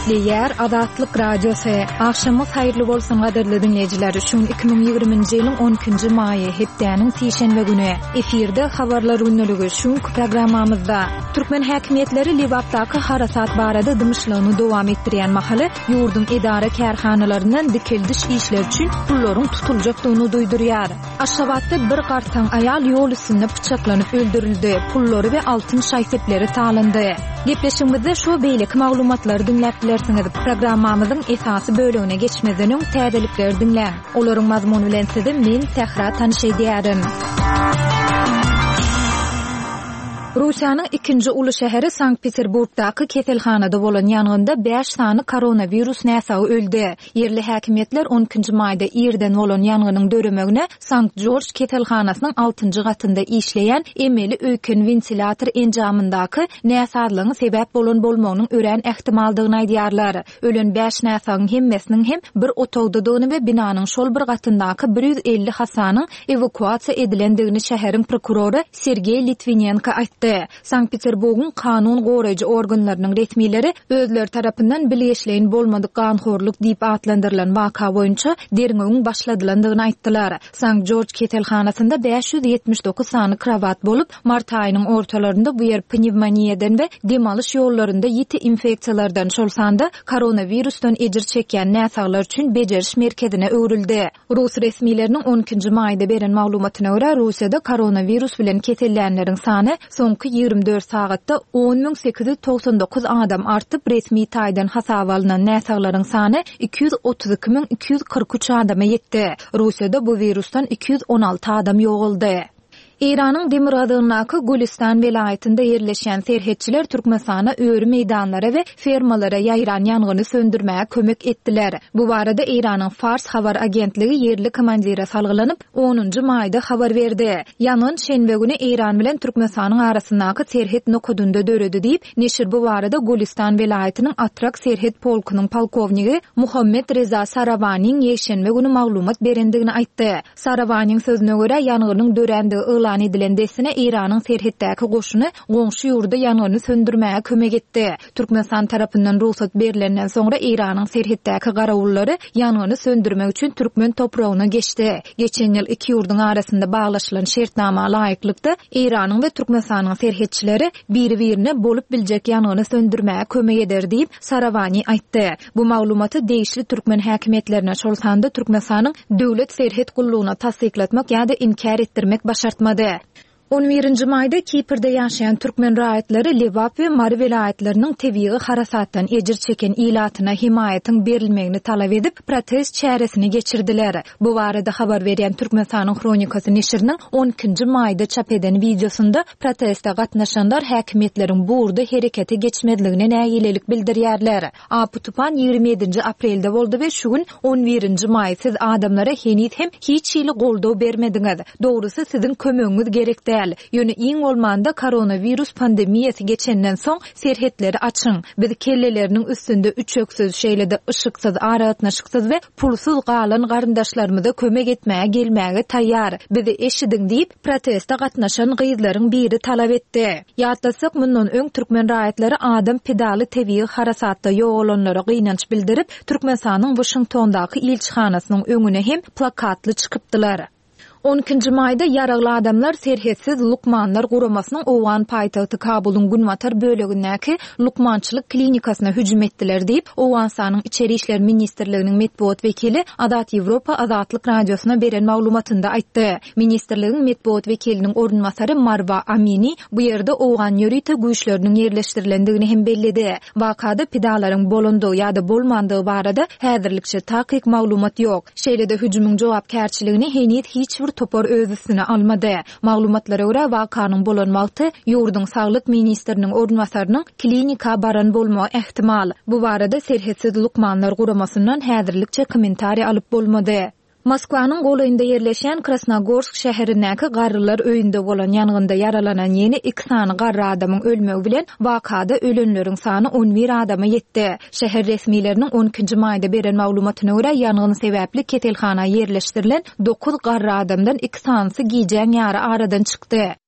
Gepleýär Azatlyk Radiosy. Agşamyňyz haýyrly bolsun gadyrly diňleýjiler. Şu gün 2020-nji ýylyň 12-nji maýy, hepdäniň sişenbe güni. Efirde Habarlar gündeligi şu günki programmamyzda. Türkmen häkimiýetleri Lebapdaky harasat barada dymyşlygyny dowam etdirýän mahaly, ýurduň edara-kärhanalaryndan dikeldiş işleri üçin pullaryň tutuljakdygyny duýdurýar. Aşgabatda bir gartaň aýal ýol üstünde pyçaklanyp öldürildi, pullary we altyn şaý-sepleri talandy. Gepleşigimizde şu we beýleki maglumatlary diňläp bilersiňiz. Programmamyzyň esasy bölegine geçmezden öň täzelikleri diňläň. Olaryň mazmuny bilen sizi men, Sähra tanyş edýärin. Russiýanyň ikinji uly şäheri Sankt-Peterburgdaky keselhanada bolan ýangynda bäş sany koronawirus näsagy öldi. Ýerli häkimiýetler on ikinji maýda irden bolan ýangynyň döremegine Sankt-Jorj keselhanasynyň altynjy gatynda işleýän emeli öýken wentilýator enjamyndaky näsazlygyň sebäp bolan bolmagynyň örän ähtimaldygyny aýdýarlar. Ölen bäş näsagyň hemmesiniň hem bir otagdadygyny we binanyň şol bir gatyndaky 150 hassanyň ewakuasiýa edilendigini şäheriň prokurory Sergeý Litwinenko aýtdy. Sankt-Peterburgyň kanun goraýjy organlarynyň resmileri özleri tarapyndan bilgeşleýin bolmadyk ganhorluk diýip atlandyrylan waka boýunça derňewiň başladylandygyny aýtdylar. Sankt-Jorj keselhanasynda 579 sany krowat bolup, mart aýynyň ortalarynda bu ýer pnewmoniýadan we dem alyş ýollarynda ýiti infeksiýalardan, şol sanda koronawirusdan ejir çekýän näsaglar üçin bejeriş merkezine öwrüldi. Rus resmileriniň on ikinji maýda beren maglumatyna görä, Russiýada koronawirus bilen kesellänleriň sany soňky 24 sagatda 10 899 adam artyp, resmi taýdan hasaba alnan näsaglaryň sany 232 243 adama ýetdi. Russiýada bu wirusdan 216 adam ýogaldy. Eýranyň demirgazygyndaky Gülüstan welaýatynda ýerleşýän serhetçiler Türkmenistana öri meýdanlara we fermalara ýaýran ýangyny söndürmäge kömek etdiler. Bu barada Eýranyň Fars habar agentligi ýerli komandire salgylanyp, onunjy maýda habar berdi. Ýangyn şenbe güni Eýran bilen Türkmenistanyň arasyndaky serhet nokadynda döredi diýip, neşir bu barada Gülüstan welaýatynyň Atrak serhet polkunyň polkownigi Muhammet Reza Sarawanyň ýekşenbe güni maglumat berendigini aýtdy. Sarawanyň sözüne görä, ýangynyň dörändigi yglan edilen dessine Eýranyň serhetdäki goşuny goňşy ýurda ýangyny söndürmäge kömek etdi. Türkmenistan tarapyndan rugsat berlenden soňra Eýranyň serhetdäki garawullary ýangyny söndürmek üçin türkmen topragyna geçdi. Geçen ýyl iki ýurduň arasynda baglaşylan şertnama laýyklykda, Eýranyň we Türkmenistanyň serhetçileri biri-birine bolup biljek ýangyny söndürmäge kömek eder diýip, Sarawani aýtdy. Bu maglumaty degişli türkmen häkimiýetlerine, şol sanda Türkmenistanyň Döwlet serhet gullugyna tassyklatmak ýa-da inkär etdirmek başartmady. On birinji maýda Kiprde ýaşaýan türkmen raýatlary Lebap we Mary welaýatlarynyň tebigy harasatdan ejir çeken ilatyna hemaýatyň berilmegini talap edip, protest çäresini geçirdiler. Bu barada habar berýän Türkmenistanyň Hronikasy neşiriniň on ikinji maýda çap eden wideosynda proteste gatnaşanlar häkimiýetleriň bu ugurda herekete geçmezligine nägilelik bildirýärler. Apy-tupan 27-nji aprelde boldy we şu gün, on birinji maý, siz adamlara heniz hem hiç hili goldaw bermediňiz. Dogrusy, siziň kömegiňiz gerek däl. Ýöne iň bolmanda koronawirus pandemiýasy geçenden soň serhetleri açyň. Biz kelleleriniň üstünde üçeksiz, şeýle-de yşyksyz, aragatnaşyksyz we pulsuz galan garyndaşlarymyza kömek etmäge gelmäge taýýar. Bizi eşidiň diýip, proteste gatnaşan gyzlaryň biri talap etdi. Ýatlatsak, mundan öň türkmen raýatlary adam pidaly tebigy harasatda ýogalanlara gynanç bildirip, Türkmenistanyň Waşingtondaky ilçihanasynyň öňüne hem plakatly çykypdylar. On ikinji maýda ýaragly adamlar Serhetsiz lukmanlar guramasynyň owgan paýtagty Kabulyň günbatar bölegindäki lukmançylyk klinikasyna hüjüm etdiler diýip, Owganystanyň Içeri işler ministrliginiň metbugat wekili Azat Ýewropa Azatlyk Radiosyna beren maglumatynda aýtdy. Ministrligiň metbugat wekiliniň orunbasary Marwa Amini bu ýerde owgan ýörite güýçleriniň ýerleşdirilendigini hem belledi. Wakada pidalaryň bolandygy ýa-da bolmandygy barada häzirlikçe takyk maglumat ýok. Şeýle-de hüjümiň jogapkärçiligini heniz hiç bir topar öz üstüne almady. Maglumatlara görä, wakanyň bolan wagty ýurduň saglyk ministriniň orunbasarynyň klinika baran bolmagy ähtimal. Bu barada Serhetsiz lukmanlar guramasyndan häzirlikçe kommentariý alyp bolmady. Moskwanyň golaýynda ýerleşýän Krasnogorsk şäherindäki garrylar öýünde bolan ýangynda ýaralanan ýene iki sany garry adamyň ölmegi bilen wakada ölenleriň sany on bir adama ýetdi. Şäher resmileriniň on ikinji maýda beren maglumatyna görä, ýangyn sebäpli keselhana ýerleşdirilen dokuz garry adamdan iki sanysy gijäň ýary aradan çykdy.